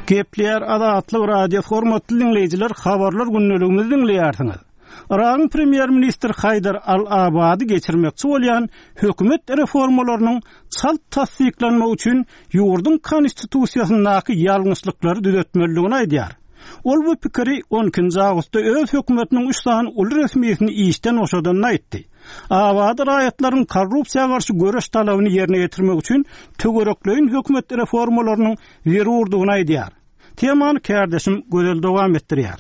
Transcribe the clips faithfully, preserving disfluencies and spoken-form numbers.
Gepleýär Azatlyk Radiosy hormatly diňleýjiler, habarlar gündeligimizi diňleýärsiňiz. Yragyň premýer-ministri Haýdar Al-Abadi geçirmekçi bolýan hökümet reformalarynyň çalt tassyklanmagy üçin ýurduň konstitusiýasyndaky ýalňyşlyklary düzetmelidigini aýdýar. Ol bu pikiri on ikinji awgustda öz hökümetiniň üç sany uly resmisini işden boşadanyny aýtdy. Abadi raýatlaryň korrupsiýa garşy göreş talabyny ýerine ýetirmek üçin töwerekleýin hökümet reformalarynyň zerurdygyny aýdýar. Temany kärdeşim Gözel dowam etdirýär.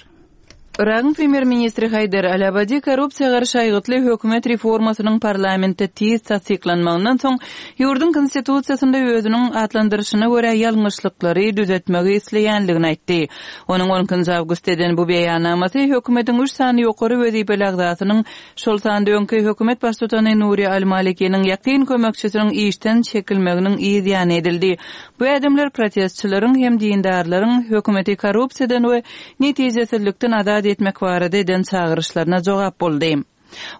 Yragyň premýer-ministri Haýdar Al-Abadi korrupsiýa garşy aýgytly hökümet reformasynyň parlamentde tiz tassyklanmagyndan soň ýurduň konstitusiýasynda özüniň atlandyryşyna görä ýalňyşlyklary düzetmegi isleýänligini aýtdy. Onuň on ikinji awgustda eden bu beýannamasy hökümetiň üç sany ýokary wezipeli agzasynyň, şol sanda öňki hökümet baştutany Nuri Al-Malikiniň ýakyn kömekçisiniň işden çekilmeginiň yz ýany edildi. Bu ädimler protestçileriň hem dindarlaryň hökümeti korrupsiýadan we netijesizlikden azat etmek barada eden çagyryşlaryna jogap boldy.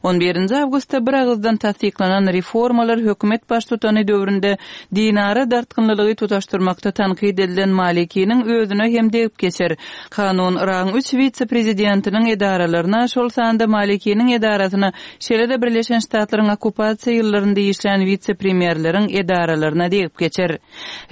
On birinji awgustda bir agyzdan tassyklanan reformalar hökümet baştutany döwründe dinara dartgynlylygy tutaşdyrmakda tankyt edilen Malikiniň özüne hem degip geçer. Kanun Yragyň üç witse-prezidentiniň edaralaryna, şol sanda Malikiniň edarasyna, şeýle-de Birleşen Ştatlaryň okkupasiýa ýyllarynda işlän witse-premýerleriň edaralaryna degip geçer.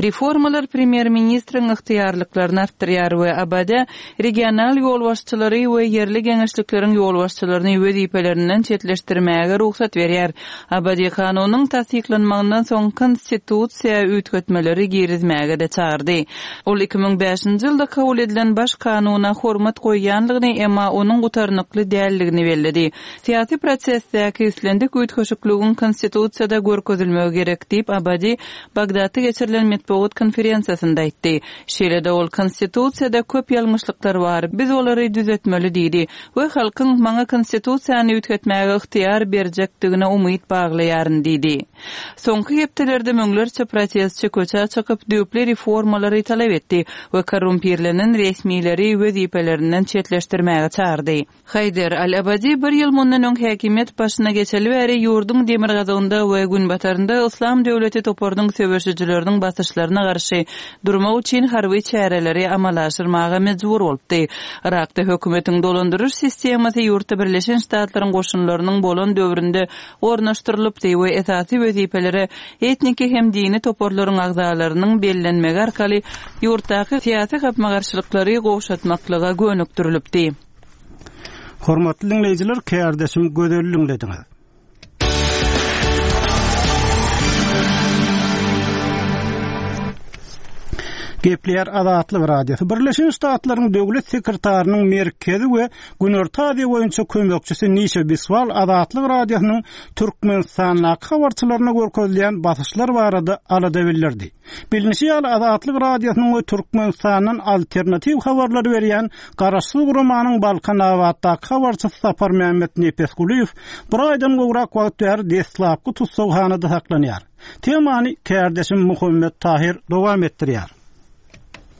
Reformalar premýer-ministriň ygtyýarlyklaryny artdyrýar we Abada regional ýolbaşçylary we ýerli geňeşlikleriň ýolbaşçylaryny wezipelerinden çetleşdirmäge rugsat berýär. Abadi kanunyň tassyklanmagyndan soň konstitusiýa üýtgetmeleri girizmäge de çagyrdy. Ol iki müň bäşinji ýylda kabul edilen baş kanuna hormat goýýanlygyny, emma onuň gutarnykly däldigini belledi. Syýasy prosesdäki islendik üýtgeşikligiň konstitusiýada görkezilmegi gerek diýip Abadi Bagdatda geçirilen metbugat konferensiýasynda aýtdy. Şeýle-de ol konstitusiýada köp ýalňyşlyklar bar, biz olary düzetmeli diýdi we halkyň maňa konstitusiýany üýtgetmäge ygtyýar berjekdigine umyt baglaýaryn diýdi. Soňky hepdelerde müňlerçe protestçi köçä çykyp düýpli reformalary talap etdi we korrumpirlenen resmileri wezipelerinden çetleşdirmäge çagyrdy. Haýdar Al-Abadi bir ýyl mundan öň häkimiýet başyna geçeli bäri ýurduň demirgazygynda we günbatarynda Yslam döwleti toparynyň söweşijileriniň basyşlaryna garşy durmak üçin harby çäreleri amala aşyrmaga mejbur bolupdy. Yrakda hökümetiň dolandyryş sistemasy ýurtda Birleşen Ştatlaryň goşunlarynyň bolan döwründe ornaşdyrylypdy we esasy wezipelere etniki hem dini toparlaryň agzalarynyň bellenmegi arkaly ýurtdaky syýasy gapma-garşylyklary gowşatmaklyga gönükdirilipdi. Hormatly dinleýjiler, kärdeşim Gözel dinlediňiz. Gepleýär Azatlyk Radiosy. Birleşen Ştatlaryň Döwlet sekretarynyň merkezi we Günorta Aziýa boýunça kömekçisi Nişa Biswal Azatlyk Radiosynyň Türkmenistandaky habarçylaryna görkezilýän basyşlar barada alada bildirdi. Bilinişi ýaly Azatlyk Radiosynyň we Türkmenistandan alternatiw habarlar berýän Garaşsyz guramanyň Balkanabatdaky habarçysy Sapar Mehmet Nepesgulyýew bir aýdan gowrak wagt bäri deslapky tussaghanada saklanýar. Temany kärdeşim Muhammet Tahir dowam etdirýär.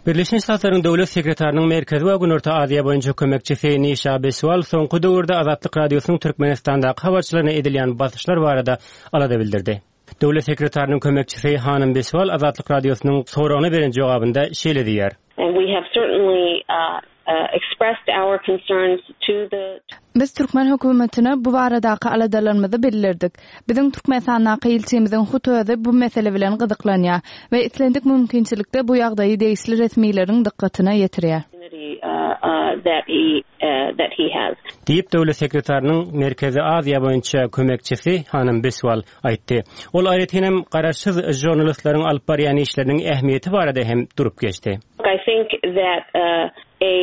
Birleşen Ştatlaryň Döwlet sekretarynyň merkezi we Günorta Aziýa boýunça kömekçisi Nişa Biswal soňky döwürde Azatlyk Radiosynyň Türkmenistandaky habarçylaryna edilýän basyşlar barada alada bildirdi. Döwlet sekretarynyň kömekçisi Hanym Biswal Azatlyk Radiosynyň soragyna beren jogabynda şeýle diýýär. And we have certainly, uh, uh, expressed our concerns to the Biz Türkmen hökümetine bu baradaky aladalarymyzy bildirdik. Biziň Türkmenistandaky ilçimiziň hut özi bu mesele bilen gyzyklanýar we islendik mümkinçilikde bu ýagdaýy degişli resmileriň dykgatyna ýetirýär. Uh, uh, that he, uh, that he has. Diýip Döwlet sekretarynyň Merkezi Aziýa boýunça kömekçisi Hanym Biswal aýtdy. Ol aýratyn hem garaşsyz žurnalistleriň alyp barýan işleriniň ähmiýeti barada hem durup geçdi. I think that, uh, a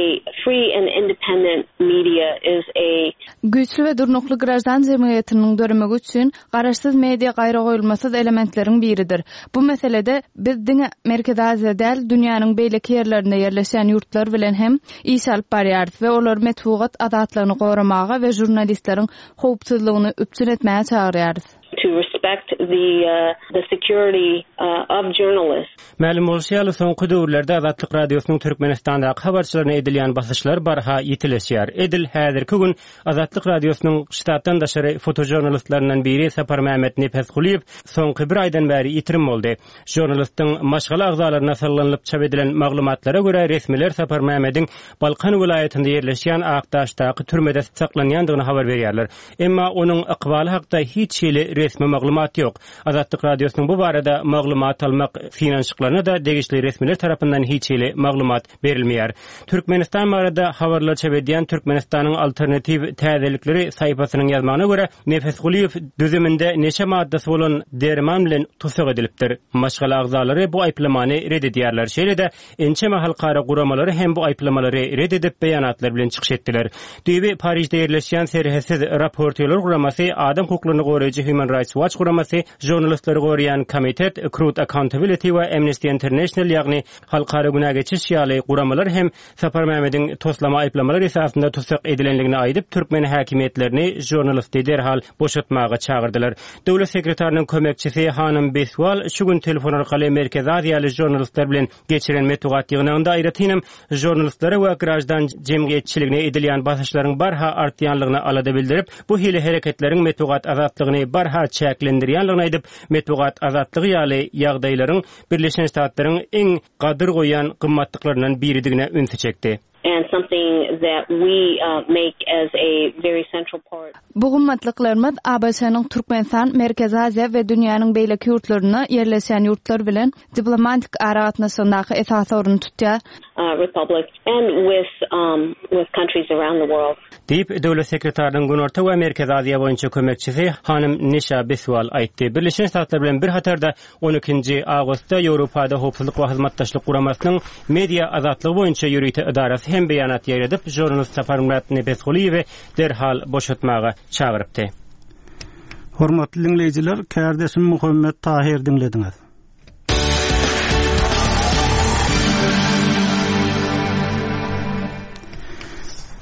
free and independent media is a Güýçli we durnukly graždan jemgyýetiniň döremegi üçin garaşsyz media gaýra goýulmasyz elementleriň biridir. Bu meselede biz diňe Merkezi Aziýa däl, dünýäniň beýleki ýerlerinde ýerleşen ýurtlar bilen hem iş alyp barýarys we olar metbugat azatlygyny goramaga we žurnalistleriň howpsuzlygyny üpjün etmäge çagyrýarys. To respect respect the uh, the security uh, of journalists. Mälim bolşy ýaly, soňky döwürlerde Azatlyk Radiosynyň Türkmenistandaky habarçylaryna edilýän basyşlar barha ýitileşýär. Edil häzirki gün Azatlyk Radiosynyň ştatdan daşary fotožurnalistlaryndan biri Saparmämmet Nepesgulyýew soňky bir aýdan bäri ýitirim boldy. Žurnalistiň maşgala agzalaryna salgylanyp çap edilen maglumatlara görä resmiler Saparmämmediň Balkan welaýatynda ýerleşýän Akdaşdaky türmede saklanýandygyny habar berýärler. Emma onuň ykbaly hakda hiç hili resmi maglumat ýok. Azatlyk Radiosynyň bu barada maglumat almak synanyşyklaryna da degişli resmiler tarapyndan hiç hili maglumat berilmeýär. Türkmenistan barada habarlar çap edýän Türkmenistanyň alternatiw täzelikleri saýfasynyň ýazmagyna görä Nepesgulyýew düzüminde neşe maddasy bolan derman bilen tussag edilipdir. Maşgala agzalary bu aýyplamany red edýärler. Şeýle-de ençeme halkara guramalary hem bu aýyplamalary red edip beýanatlar bilen çykyş etdiler. Düýbi Parižde ýerleşýän Serhetsiz Raportýorlar guramasy, adam hukuklaryny goraýjy Human Rights Watch guramasy, žurnalistleri goraýan komitet, Truth Accountability we Amnesty International ýagny halkara günä geçiş ýaly guramalar hem Saparmämmediň toslama aýyplamalar esasynda tussag edilenligini aýdyp, türkmen häkimiýetlerini žurnalisti derhal boşatmaga çagyrdylar. Döwlet sekretarynyň kömekçisi Hanym Beswal şu gün telefon arkaly Merkezi Aziýaly žurnalistler bilen geçiren metbugat ýygnagynda aýratynam žurnalistlere we graždan jemgyýetçiligine edilýän basyşlaryň barha artýanlygyna alada bildirip, bu hili hereketleriň metbugat azatlygyny barha çäklendirýänligini aýdyp, metbugat azatlygy ýaly ýagdaýlaryň Birleşen Ştatlaryň iň gadyr goýan gymmatlyklaryndan biridigine ünsi çekdi. and something that we uh, make as a very central part. Bu gymmatlyklarymyz ABŞ-nyň Türkmenistan, Merkezi Aziýa we dünýäniň beýleki ýurtlarynda ýerleşen ýurtlar bilen diplomatik aragatnaşygyndaky esasy orun tutýar. Uh, Republic and with um, with countries around the world. Diýip, döwlet sekretarynyň Günorta we Merkezi Aziýa boýunça kömekçisi Hanym Nişa Beswal aýtdy. Birleşen Ştatlar bilen bir hatarda on ikinji awgustda Ýewropada Howpsuzlyk we Hyzmatdaşlyk Guramasynyň media azatlygy boýunça ýörite edarasy hem beýanat ýaýradyp, žurnalist Saparmyrat Nepesgulyýewi derhal boşatmaga çagyrypdy. Hormatly dinleýjiler, kärdeşim Muhammet Tahir diňlediňiz.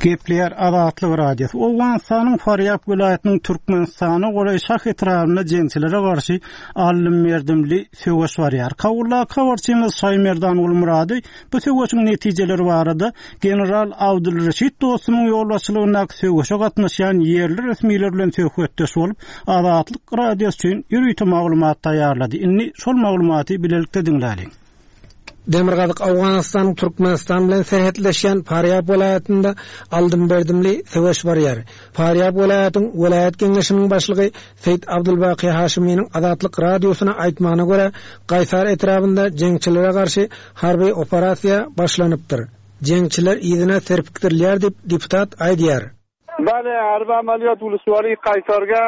Gepleýär Azatlyk Radiosy. Owganystanyň Farýab welaýatynyň Türkmenistana golaý Şah etrabynda jeňçilere garşy aldym-berdimli söweş barýar. Kabuldaky habarçymyz Şaýmerdan Gulmurady bu söweşiň netijeleri barada General Abdulreşit Dostumyň ýolbaşçylygyndaky söweşe gatnaşýan ýerli resmiler bilen söhbetdeş bolup, Azatlyk Radiosy üçin ýörite maglumat taýýarlady. Indi şol maglumaty bilelikde diňläliň. Demirgazyk Owganystanyň Türkmenistan bilen serhetleşýän Farýab welaýatynda aldym-berdimli söweş barýar. Farýab welaýatyň welaýat geňeşiniň başlygy Seýit Abdulbaki Haşiminiň Azatlyk Radiosyna aýtmagyna görä, Gaýsar etrabynda jeňçilere garşy harby operasiýa başlanypdyr. Jeňçiler yzyna serpikdirilýär diýip deputat aýdýar. Bale, harby amaliyat uluswary Gaýsarga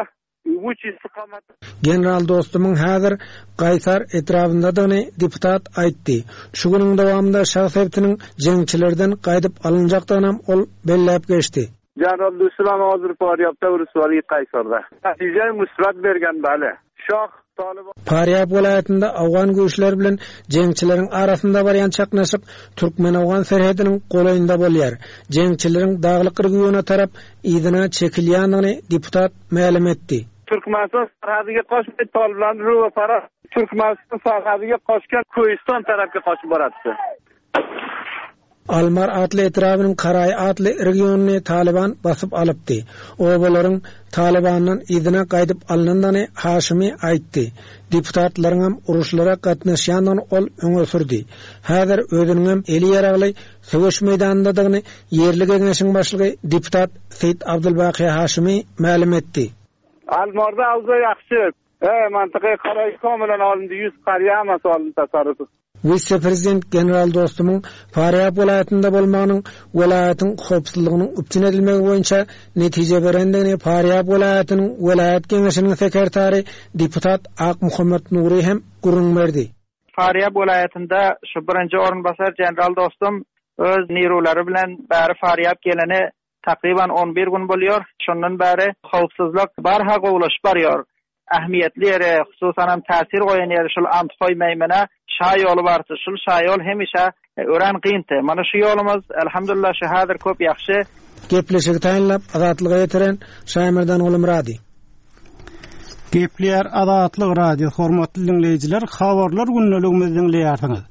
üç istikamat. General Dostumyň häzir Gaýsar etrabyndadygyny deputat aýtdy. Şu günüň dowamynda Şah sebitiniň jeňçilerden gaýdyp alynjakdygyny ol belläp geçdi. General Dostum hazır Farýabda uluswary Gaýsarda. Netije musbat bergen bale. Şah Farýab welaýatynda Awgan güýçleri bilen jeňçileriň arasynda barýan çaknyşyk Türkmen-Awgan serhediniň golaýynda bolýar. Jeňçileriň daglyk regiona tarap yzyna çekilýändigini deputat mälim etdi. Türkmenistan sarhadyga qo'shmay Toliblarni ruh para Türkmenistan sarhadiga qo'shgan Ko'yiston tarafga qochib boradi. Almar atly etrabynyň Karaý atly regionyny Taliban basyp alypdy. Obalaryň Talibandan yzyna gaýdyp alynandygyny Haşimi aýtdy. Deputatlaryň hem uruşlara gatnaşýandygyny ol öňe sürdi. Häzir özüniň hem eli ýaragly söweş meýdanyndadygyny ýerli geňeşiň başlygy deputat Seýit Abdulbaki Haşimi mälim etdi. Almarda awza ýagşy. E, mantyky Karaý komilan alyndy, ýüz qarýamas alyndy tasarruf. Wise-prezident General Dostumyň Farýab welaýatynda bolmagynyň welaýatyň howpsuzlygynyň üpjün edilmegi boýunça netije berendigini Farýab welaýatynyň welaýat geňeşiniň sekretary deputat Ak Muhammet Nuri hem gürrüň berdi. Farýab welaýatynda şu birinji orunbasar General Dostum öz nirulary bilen bäri Farýab geleni takriban on bir gün bolýar. Şondan bäri howpsuzlyk barha gowulaşyp barýar. Ähmiýetli ýere, hususan hem täsir goýan ýeri şul Anthoý meýmene şa ýoly bardy. Şul şa ýol hemişe ören gynty. Mana şu ýolumyz elhamdülillah şu häzir köp ýagşy. Gepleşigi taýynlap Azatlyga ýetiren Şaýmerdan Gulmurady. Gepleýär Azatlyk Radio hormatly dinleýjiler, habarlar gündeligimizi dinleýärsiňiz.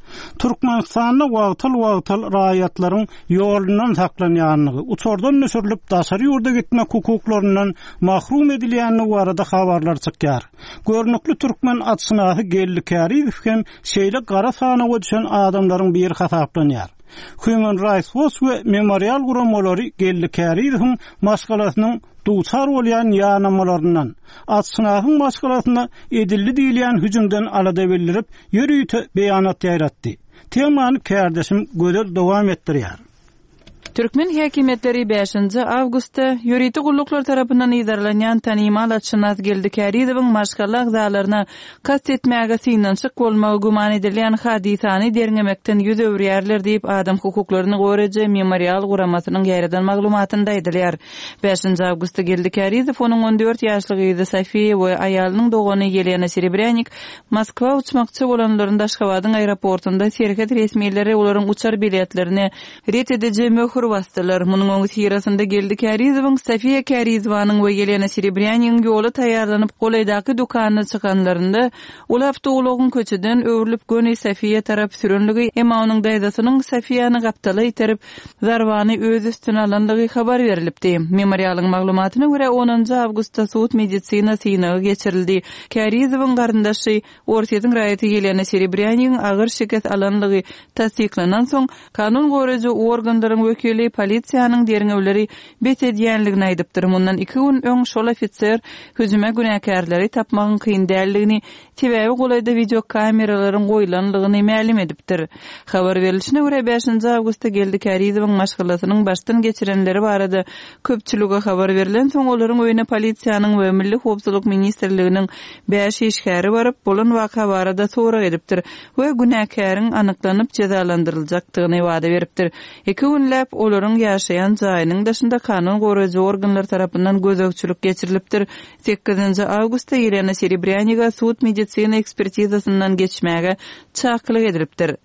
Türkmenistanda wagtal-wagtal raýatlaryň ýolundan saklanýanlygy, uçardan düşürilip daşary ýurda gitmek hukuklaryndan mahrum edilýänligi barada habarlar çykýar. Görnükli türkmen atşynasy Geldi Kärizow hem şeýle gara sanawa düşen adamlaryň biri hasaplanýar. Human Rights Watch we Memorial guramalary Geldi Kärizowyň maşgalasynyň duçar bolýan ýanamalaryndan, atşynasyň maşgalasyna edildi diýilýän hüjümden alada bildirip, ýörite beýanat ýaýratdy. Temany kärdeşim Gözel dowam etdirýär. Türkmen häkimiýetleri bäşinji awgustda ýörite gulluklar tarapyndan yzarlanýan tanymal atşynas Geldi Kärizowyň maşgala agzalaryna kast etmäge synanyşyk bolmagy güman edilýän hadysany derňemekden ýüz öwürýärler diýip adam hukuklaryny goraýjy Memorial guramasynyň ýaýradan maglumatynda aýdylýar. Bäşinji awgustda Geldi Kärizow onuň on dört ýaşly gyzy Sofiýa we aýalynyň dogany Ýelena Serebrýanik Moskwa uçmakçy bolanlarynda Aşgabadyň aeroportunda serhet resmileri olaryň uçar biletlerini ret ediji möhür basdylar. Munuň öňüsyrasynda Geldi Kärizowyň, Sofiýa Kärizowanyň we Ýelena Serebrýanigiň ýola taýýarlanyp golaýdaky dükanyna çykanlarynda uly awtoulagyň köçeden öwrülip göni Sofiýa tarap sürenligi, emma onuň daýzasynyň Sofiýany gapdala iterip zarbany öz üstüne alanlygy habar berilipdi. Memorialyň maglumatyna görä onunjy awgustda sud medisina synagy geçirildi. Kärizowyň garyndaşy Orsýetiň raýaty Ýelena Serebrýanigiň agyr şikes alanlygy tassyklanan soň kanun goraýjy organlaryň wekili polisiýanyň derňewleri bes edýänligini aýdypdyr. Mundan iki gün öň şol ofiser hüjüme günäkärleri tapmagyň kyn däldigini, sebäbi golaýda video kameralaryň goýlanlygyny mälim edipdir. Habar berilişine görä bäşinji awgustda Geldi Kärizowyň maşgalasynyň başdan geçirenleri barada köpçülige habar berilen soň olaryň öýüne polisiýanyň we Milli Howpsuzlyk Ministrliginiň bäş işgäri baryp bolan waka barada sorag edipdir we günäkäriň anyklanyp jezalandyryljakdygyny wada beripdir. Iki günläp olaryň ýaşaýan jaýynyň daşynda kanun goraýjy organlar tarapyndan gözegçilik geçirilipdir. Sekizinji awgustda Ýelena Serebrýaniga sud medisina ekspertizasyndan geçmäge çakylyk edilipdir.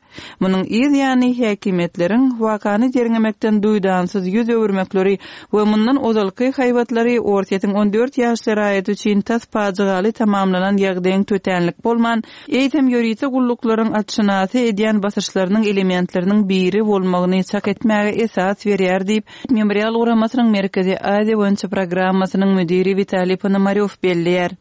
Munuň yz ýany häkimiýetleriň wakany derňemekden duýdansyz ýüz öwürmekleri we mundan ozalky haýbatlary Orsýetiň on dört ýaşly raýaty üçin tas pajygaly tamamlanan ýagdaýyň tötänlik bolman, eýsem ýörite gulluklaryň atşynasy edýän basyşlarynyň elementleriniň biri bolmagyny çak etmäge esas berýär diýip, Memorial guramasynyň Merkezi Aziýa boýunça programmasynyň müdiri Witaliý Ponomarýow belleýär.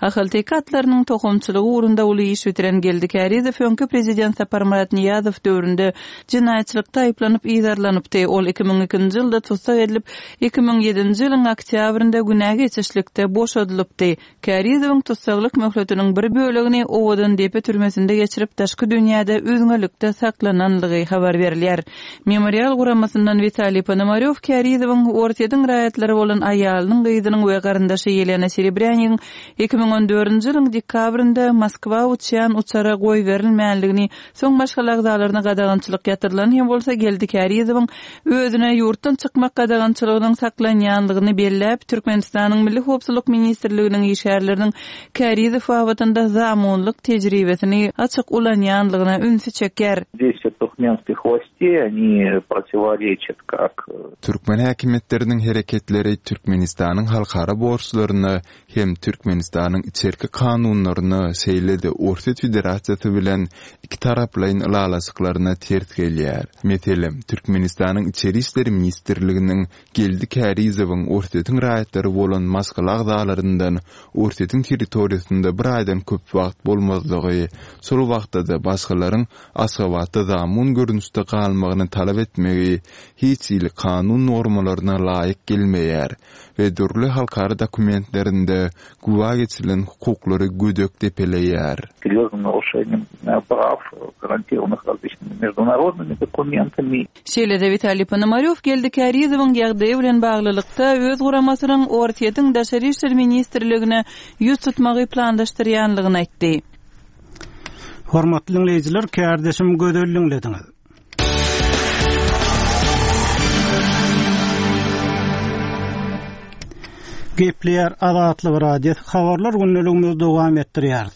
Ahalteke atlarynyň tohumçylygy ugrunda uly iş bitiren Geldi Kärizow öňki prezident Saparmyrat Niýazow döwründe jenaýatçylykda aýyplanyp yzarlanypdy. Ol iki müň ikinji ýylda tussag edilip, iki müň ýedinji ýylyň oktýabrynda günä geçişlikde boşadylypdy. Kärizowyň tussaglyk möhletiniň bir bölegini Owadan depe türmesinde geçirip, daşky dünýäde üzňelikde saklananlygy habar berilýär. Memorial guramasyndan Witaliý Ponomarýow Kärizowyň Orsýetiň raýatlary bolan aýalynyň, gyzynyň we garyndaşy Ýelena Serebrýanigiň iki müň on dördünji ýylyň dekabrynda Moskwa uçýan uçara goýberilmänligini, soň maşgala agzalaryna gadagançylyk ýatyrylan hem bolsa Geldi Kärizowyň özüne ýurtdan çykmak gadagançylygynyň saklanýanlygyny belläp, Türkmenistanyň Milli Howpsuzlyk Ministrliginiň işgärleriniň Kärizow babatynda zamunlyk tejribesini açyk ulanýanlygyna ünsi çekýär. Действия туркменских властей, они противоречат как Türkmen häkimiýetleriniň hereketleri Türkmenistanyň halkara borçlaryna hem Türkmenistanyň içerki kanunlaryna, şeýle-de Orsýet Federasiýasy bilen iki taraplaýyn ylalaşyklaryna ters gelýär. Meselem, Türkmenistanyň Içeri işler ministrliginiň Geldi Kärizowyň Orsýetiň raýatlary bolan maşgala agzalaryndan Orsýetiň territoriýasynda bir aýdan köp wagt bolmazlygy, şol wagtda-da başgalaryň Aşgabatda zamun görnüşde galmagyny talap etmegi hiç hili kanun normalaryna laýyk gelmeýär we dürli halkara dokumentlerinde güwä geçirilen hukuklary gödek depeleýär. Серьезным нарушением прав, гарантированных различными международными документами. Şeýle-de Witaliý Ponomarýow Geldi Kärizowyň ýagdaýy bilen baglylykda öz guramasynyň Orsýetiň Daşary işler ministrligine ýüz tutmagy planlaşdyrýanlygyny aýtdy. Hormatly dinleýjiler, kärdeşim Gözel dinlediňiz. Gepleýär Azatlyk Radiosy habarlar gündeligimizi dowam etdirýär.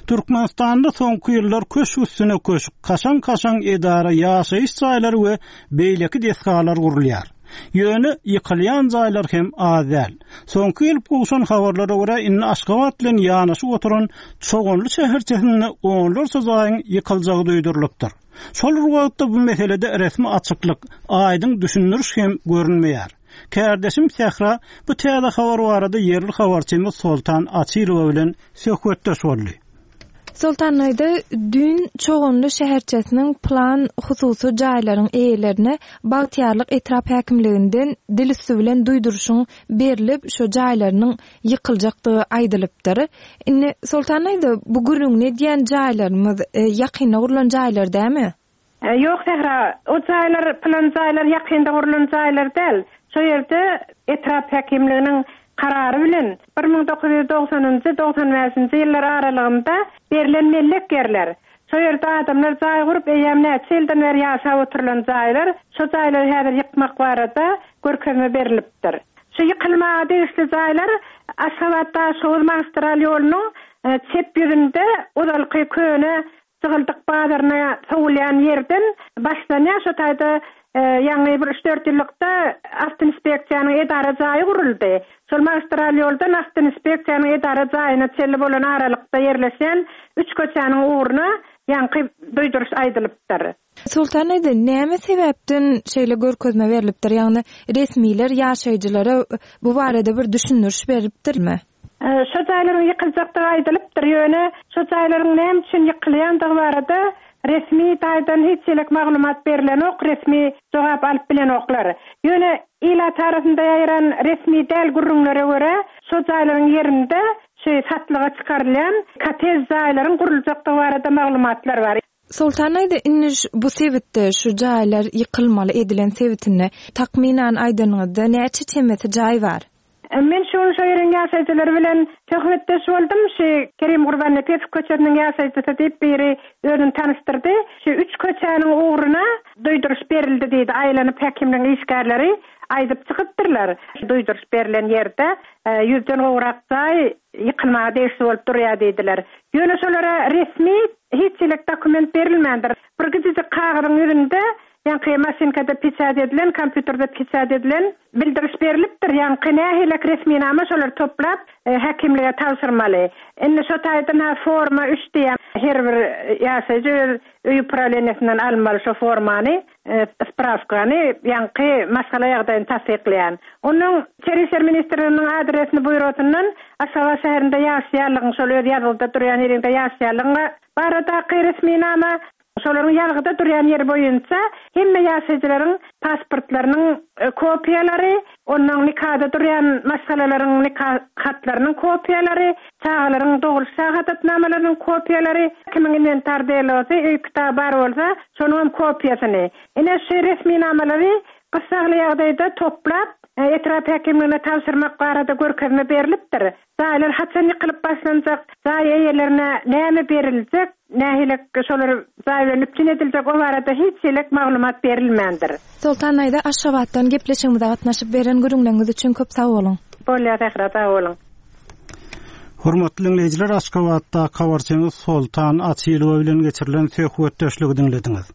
Türkmenistanda soňky ýyllar köşk üstüne köşk, kaşaň-kaşaň edara, ýaşaýyş jaýlary we beýleki desgalar gurulýar. Ýöne ýykylýan jaýlar hem az däl. Soňky gelip gowşan habarlara görä indi Aşgabat bilen ýanaşyk oturan Çoganly şäherçesinde onlarça jaýyň ýykyljagy duýdurylypdyr. Şol bir wagtda bu meselede resmi açyklyk, aýdyň düşündiriş hem görünmeýär. Kärdeşim Sähra bu täze habar barada ýerli habarçymyz Soltan Açylowa bilen söhbetdeş boldy. Soltan aýda düýn Çoganly şäherçesiniň plan hususy jaýlaryň eýelerine Bagtyýarlyk etrap häkimliginden dil üstü bilen duýduryşyň berilip, şu jaýlarynyň ýykyljakdygy aýdylypdyr. Indi Soltan aýda bu gürrüňini edýän jaýlarymyz e, ýakynda gurlan jaýlar dämi? E, Ýok Sähra, o jaýlar plan jaýlar ýakynda gurlan jaýlar däl. Şo ýerde etrap häkimliginiň karary bilen bir müň dokuz ýüz doksanynjy, doksan bäşinji ýyllar aralygynda berilen mellek ýerler. Şo ýerde adamlar jaý gurup, eýýäm näçe ýyldan bäri ýaşap oturylan jaýlar, şo jaýlary häzir ýykmak barada görkezme berilipdir. Şu ýykylmaga degişli jaýlar Aşgabat Daşoguz magistral ýolunyň, e, çep ýüzünde ozalky köne Jygyldyk bazaryna sowulýan ýerden başlanýar. Şo taýda, e, ýaňy bir üç dört ýyllykda Awtoinspeksiýanyň edara jaýy guruldy. Şol magistral ýoldan Awtoinspeksiýanyň edara jaýyna çenli bolan aralykda ýerleşen üç köçäniň ugruna ýaňky duýduryş aýdylypdyr. Soltan aýda näme sebäpden şeýle görkezme berilipdir? Ýagny resmiler ýaşaýjylara bu barada bir düşündiriş beripdirmi? E, şo jaýlaryň ýykyljakdygy aýdylypdyr. Ýöne şo jaýlaryň näme üçin ýykylýandygy barada resmi taýdan hiç ýerlik maglumat berilenok, resmi jogap alyp bilenoklar. Ýöne ilat arasynda ýaýran resmi däl gürrüňlere görä, şo jaýlaryň ýerinde şu satlyga çykarylýan kotej jaýlaryň guruljakdygy barada maglumatlar bar. Soltan aýda indi bu sebitde şu jaýlar ýykylmaly edilen sebitinde takmynan aýdanyňyzda näçe çemesi jaý bar? E, Men şu gün şo ýeriň ýaşaýjylary bilen söhbetdeş boldum. Şu Kerim Gurbannepesow köçesiniň ýaşaýjysy diýip biri özüni tanyşdyrdy. Şu üç köçäniň ugruna duýduryş berildi diýdi. Aýlanyp häkimligiň işgärleri aýdyp çykypdyrlar. Duýduryş berilen ýerde, e, ýüzden gowrak jaý ýykylmaga degişli bolup durýar diýdiler. Ýöne şolara resmi hiç ýerlik dokument berilmändir. Bir gijiji kagyzyň ýüzünde ýaňky maşinkada peçat edilen, kompýuterde peçat edilen bildiriş berilipdir. Ýaňky nähili resminama şolar toplap, e, häkimlige tabşyrmaly. Indi şo taýdan ha forma üç diýen her bir ýaşaýjy öz öý upravleniýesinden almaly şo formany, e, spravkany, ýaňky maşgala ýagdaýyny tassyklaýan. Onuň Içeri işler ministrliginiň adresini buýrusyndan Aşgabat şäherinde ýaşaýanlygyň, şol öz ýazgyda durýan ýerinde ýaşaýanlygyň baradaky resminama, şolaryň ýazgyda durýan ýeri boýunça hemme ýaşaýjylaryň pasportlarynyň, e, kopiýalary, ondan nikada durýan maşgalalaryň nika hatlarynyň kopiýalary, çagalaryň dogruş şahadatnamalarynyň kopiýalary, kimiň inwentar delosy, öý kitaby bar bolsa, şonuň hem kopiýasyny. Ine şu resminamalary gyssagly ýagdaýda toplap, e, etrap häkimligine tabşyrmak barada görkezme berilipdir. Jaýlar haçan ýykylyp başlanjak, jaý eýelerine näme beriljek, nähili şolar jaý bilen üpjün ediljek, o barada hiç ýerlik maglumat berilmändir. Soltan aýda Aşgabatdan gepleşigimize gatnaşyp beren gürrüňleriňiz üçin köp sag boluň. Bolýar, Sähra, sag boluň. Hormatly dinleýjiler, Aşgabatda habarçymyz Soltan Açylowa bilen geçirilen söhbetdeşligi diňlediňiz.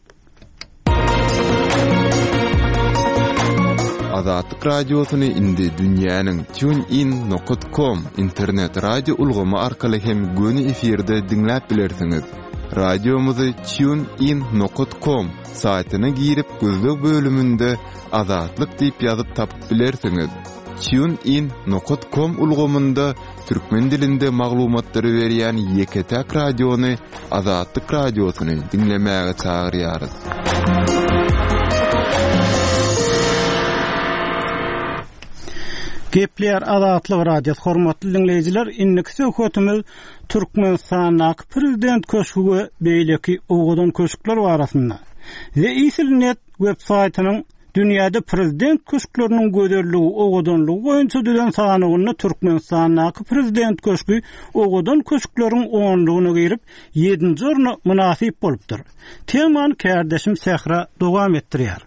Azatlyk radiosyny indi dünýäniň tunein nokta com internet radio ulgamy arkaly hem göni efirde diňläp bilersiňiz. Radiomyzy tunein nokta com saýtyna girip gözleg bölüminde Azatlyk diýip ýazyp tapyp bilersiňiz. Tunein nokta com ulgamynda türkmen dilinde maglumatlary berýän ýeke-täk radiony Azatlyk radiosyny diňlemäge çagyrýarys. Gepler Azatlyk Radiosy hormatly dinleýjiler, indiki söhbetimiz Türkmenistandaky prezident köşgi we beýleki owadan köşkler barasynda. The Isilnet web saýtynyň dünýäde prezident köşkleriniň gözelligi, owadanlygy boýunça düzen sanawynda Türkmenistandaky prezident köşgi owadan köşkleriň onlugyna girip, ýedinji orna mynasyp bolupdyr. Temany kärdeşim Sähra dowam etdirýär.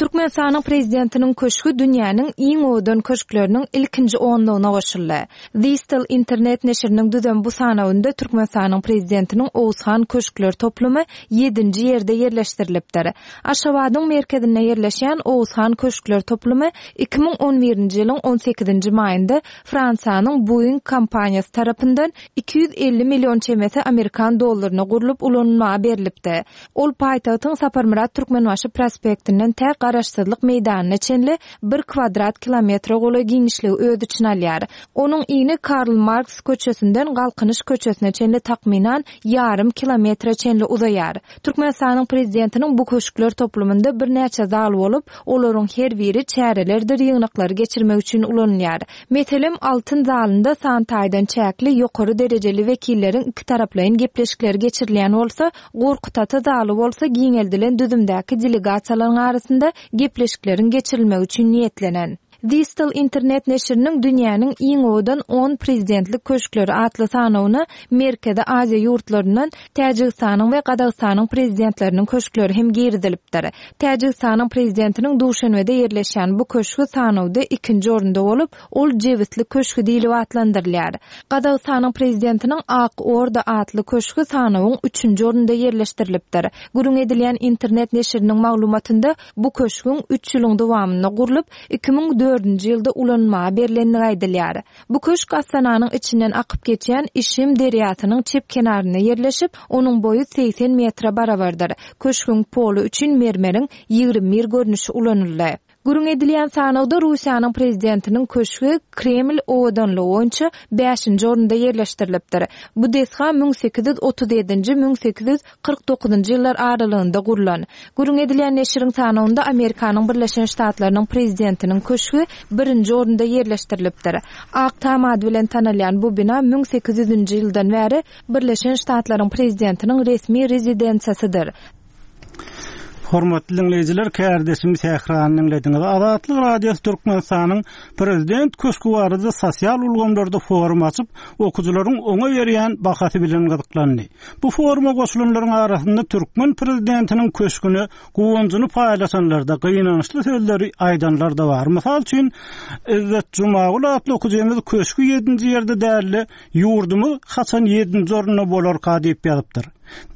Türkmenistanyň prezidentiniň köşgi dünýäniň iň owadan köşkleriniň ilkinji onlugyna goşuldy. Zistel internet neşiriniň düzen bu sanawynda Türkmenistanyň prezidentiniň Oguzhan köşkler toplumy ýedinji ýerde ýerleşdirilipdir. Aşgabadyň merkezinde ýerleşýän Oguzhan köşkler toplumy iki müň on birinji ýylyň on sekizinji maýynda Fransiýanyň Boeing kompaniýasy tarapyndan iki ýüz elli million çemesi Amerikan dollaryna gurlup ulanylmaga berilipdi. Ol paýtagtyň Saparmyrat Türkmenbaşy prospektinden tä Garaşsyzlyk meýdanyna çenli bir kvadrat kilometre golaý giňişligi öz içine alýar. Onuň ini Karl Marks köçesinden Galkynyş köçesine çenli takmynan ýarym kilometre çenli uzaýar. Türkmenistanyň prezidentiniň bu köşkler toplumynda birnäçe zal bolup, olaryň her biri çärelerdir ýygnaklary geçirmek üçin ulanylýar. Meselem, altyn zalynda san taýdan çäkli ýokary derejeli wekilleriň iki taraplaýyn gepleşikleri geçirilýän bolsa, Gorkut ata zaly bolsa giňeldilen düzümdäki delegasiýalaryň arasynda gepleşikleriň geçirilmegi üçin niýetlenen. Zistel internet neşiriniň dünýäniň iň owadan on prezidentlik köşkleri atly sanawyna Merkezi Aziýa ýurtlaryndan Täjigistanyň we Gazagystanyň prezidentleriniň köşkleri hem girizilipdir. Täjigistanyň prezidentiniň Duşenbede ýerleşýän bu köşgi sanawda ikinji orunda bolup, ol Jebisli köşgi diýlip atlandyrylýar. Gazagystanyň prezidentiniň Ak Orda atly köşgi sanawyň üçünji orunda ýerleşdirilipdir. Gürrüň edilýän internet neşiriniň maglumatynda bu köşgüň üç ýylyň dowamynda gurlup, iki müň dördünji ýylda ulanmaga berlenligi aýdylýar. Bu köşk Astananyň içinden akyp geçýän Işim derýasynyň çep kenarynda ýerleşip, onuň boýy segsen metre barabardyr. Köşgüň poly üçin mermeriň ýigrimi bir görnüşi ulanyldy. Gürrüň edilýän sanawda Russiýanyň prezidentiniň köşgi Kreml owadanlygy boýunça bäşinji orunda ýerleşdirilipdir. Bu desga müň sekiz ýüz otuz ýedinji müň sekiz ýüz kyrk dokuzynjy ýyllar aralygynda gurlan. Gürrüň edilýän neşiriň sanawynda Amerikanyň Birleşen Ştatlarynyň prezidentiniň köşgi birinji orunda ýerleşdirilipdir. Ak Tam ady bilen tanalýan bu bina müň sekiz ýüzünji ýyldan bäri Birleşen Ştatlaryň prezidentiniň resmi rezidensiýasydyr. Hormatly dinleýjiler, kärdeşim Sährany dinlediňiz. Azatlyk Radiosy Türkmenistanyň prezident köşgi barada sosial ulgamlarda forum açyp, okyjylaryň oňa berýän bahasy bilen gyzyklandy. Bu foruma goşulanlaryň arasynda türkmen prezidentiniň köşgüne guwanjyny paýlaşanlarda gynançly sözleri aýdanlar da bar. Mysal üçin, İzzet Jumagul atly okyjymyz köşgi ýedinji ýerde däldi, ýurdumyz haçan ýedinji orunda bolarka diýip ýazypdyr.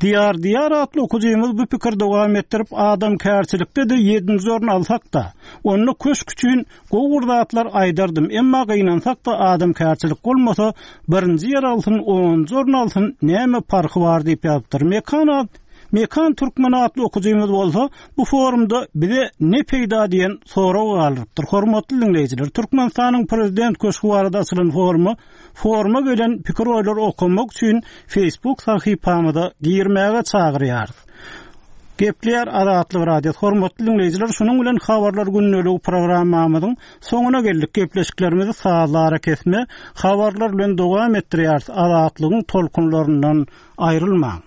Diýar Diýar atly okyjymyz bu pikir dowam etdirip, adam kärçilikde de ýedinji orun alsak da, onda köşk üçin gowy zatlar aýdardym. Emma gynansak da adam kärçilik bolmasa, birinji ýer alsyn, onunjy orun alsyn, näme parhy bar diýip ýazypdyr. Mekan at, Mekan Türkmen atly okyjymyz bolsa, bu forumda bize ne peýda diýen sorag galdyrypdyr. Hormatly dinleýjiler, Türkmenistanyň prezident köşgi barada açylan foruma, foruma gelen pikir oýlary okamak üçin Facebook sahypamyza girmäge çagyrýarys. Gepleýär Azatlyk Radiosy. Hormatly dinleýjiler, şunuň bilen habarlar gündelik programmamyzyň soňuna geldik. Gepleşiklerimizi sazlara kesme, habarlar bilen dowam etdirýäris. Azatlygyň tolkunlaryndan aýrylmaň.